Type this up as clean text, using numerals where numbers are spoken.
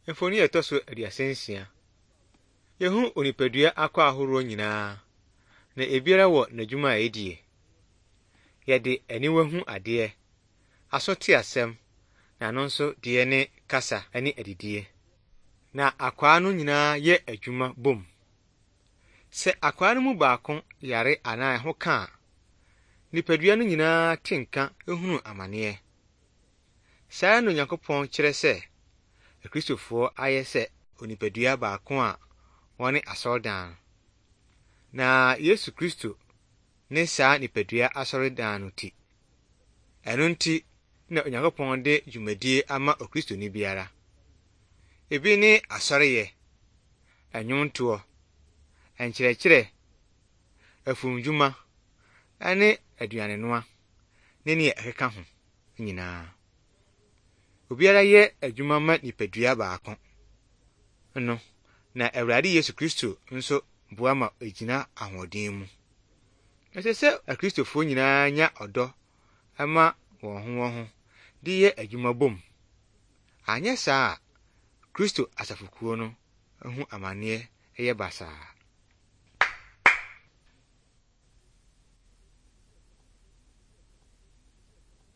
Mfoni a ɛtɔ so 36. Yehu onipadua akwaa ahoroɔ nyinaa, na ebiara wɔ n'adwuma a ɛdie. Yɛde aniwa hu adeɛ, aso te asɛm, na ano nso deɛ ne kasa ne adidie. Na akwaa no nyinaa yɛ adwuma bom. Sɛ akwaa no mu baako yare anaa ɛho ka a, nipadua no nyinaa te nka hunu amaneɛ. Saa ara na Onyankopɔn kyerɛ sɛ Akristofoɔ ayɛ sɛ onipadua baako a wɔne asɔredan no. Na Yesu Kristo ne saa nipadua asɔredan no ti. Ɛno nti na Onyankopɔn de dwumadie ama Okristoni biara. Ebi ne asɔreyɛ, nnwontoɔ, nkyerɛkyerɛ, afumdwuma, ne aduanenoa, ne nea ɛkeka ho nyinaa. Obiara yɛ adwuma ma nipadua baako no, na Awurade Yesu Kristo nso boa ma egyina ahoɔden mu. Ɛsɛ sɛ Akristofoɔ nyinaa nya ɔdɔ ma wɔn ho wɔn ho de yɛ adwuma bom. Anyɛ saa a, Kristo asafokuo no ho amanneɛ yɛ basaa.